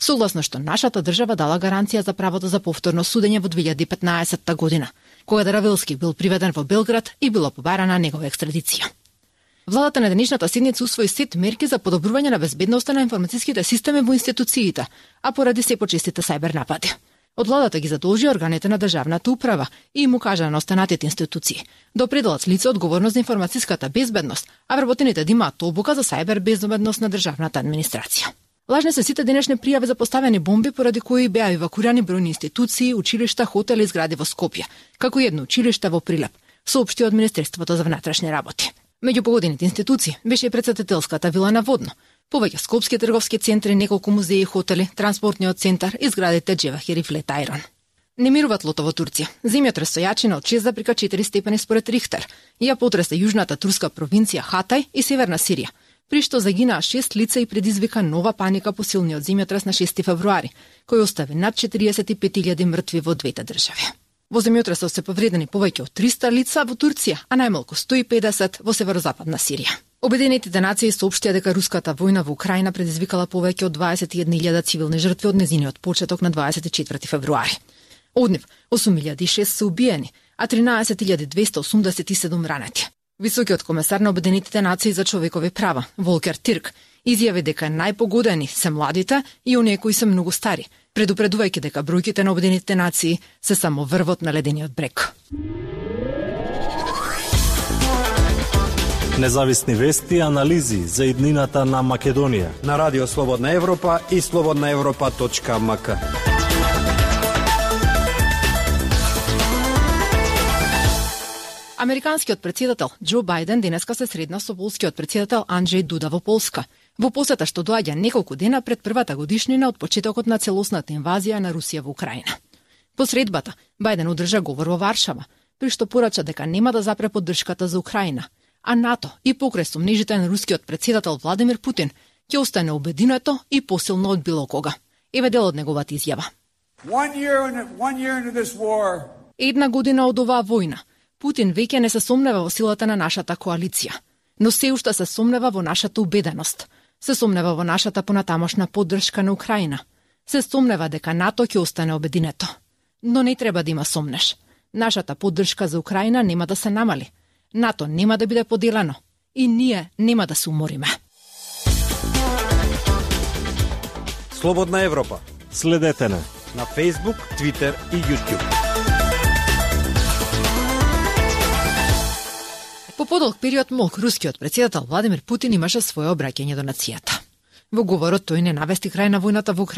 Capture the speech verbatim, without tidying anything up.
согласно што нашата држава дала гаранција за правото за повторно судење во две илјади и петнаесетта година, кога Дравелски бил приведен во Белград и била побарана негова екстрадиција. Владата на денешната седница усвои сет мерки за подобрување на безбедноста на информацијските системи во институциите, а поради се почестите сајбер напади. Од владата ги задолжи органите на државната управа и му кажа на останатите институции да определат с лице одговорност за информацијската безбедност, а вработените да имаат обука за сајбер безбедност на државната администрација. Лажни се сите денешни пријави за поставени бомби поради кои беа евакуирани бројни институции, училишта, хотели и згради во Скопје, како и едно училиште во Прилеп, соопшти од Министерството за внатрешни работи. Меѓу погодените институции беше и претседателската вила на Водно, повеќе скопски трговски центри, неколку музеи и хотели, транспортниот центар и зградите Джевахир и Флетајрон. Не мирува тлото во Турција. Земјотрес со јачина од шест запирка четири степени според Рихтер ја потресе јужната турска провинција Хатај и северна Сирија, при што загинаа шест лица и предизвика нова паника по силниот земјотрес на шести февруари, кој остави над четириесет и пет илјади мртви во двете држави. Во земјотресот се повредени повеќе од триста лица во Турција, а најмалку сто и педесет во северозападна Сирија. Обединетите нации соопштија дека руската војна во Украина предизвикала повеќе од дваесет и една илјада цивилни жртви од незиниот почеток на дваесет и четврти февруари. Од нив осум илјади и шест се убиени, а тринаесет илјади двесте осумдесет и седум ранети. Високиот комесар на Обединетите нации за човекови права, Волкер Тирк, изјави дека најпогодени се младите и оние кои се многу стари, предупредувајќи дека бројките на Обединетите нации се само врвот на ледениот брег. Независни вести и анализи за иднината на Македонија на Радио Слободна Европа и слободна европа точка ем ка. Американскиот претседател Џо Бајден денеска се средна со полскиот претседател Анџеј Дуда во Полска, во посета што доаѓа неколку дена пред првата годишнина од почетокот на целосната инвазија на Русија во Украина. По средбата, Бајден одржа говор во Варшава, при што порача дека нема да запре поддршката за Украина, а НАТО и покрај сомнежите на рускиот претседател Владимир Путин ќе остане обединето и посилно од било кога. Еве дел од неговата изјава. Една година од оваа војна, Путин веќе не се сомнева во силата на нашата коалиција, но се уште се сомнева во нашата убеденост, се сомнева во нашата понатамошна поддршка на Украина, се сомнева дека НАТО ќе остане обединето. Но не треба да има сомнеш. Нашата поддршка за Украина нема да се намали. НАТО нема да биде поделено и ние нема да се умориме. Слободна Европа. Следете на на Facebook, Twitter и YouTube. По подолг период мок рускиот претседател Владимир Путин имаше своје обраќање до нацијата. Во говорот тој не навести крај на војната во Украина,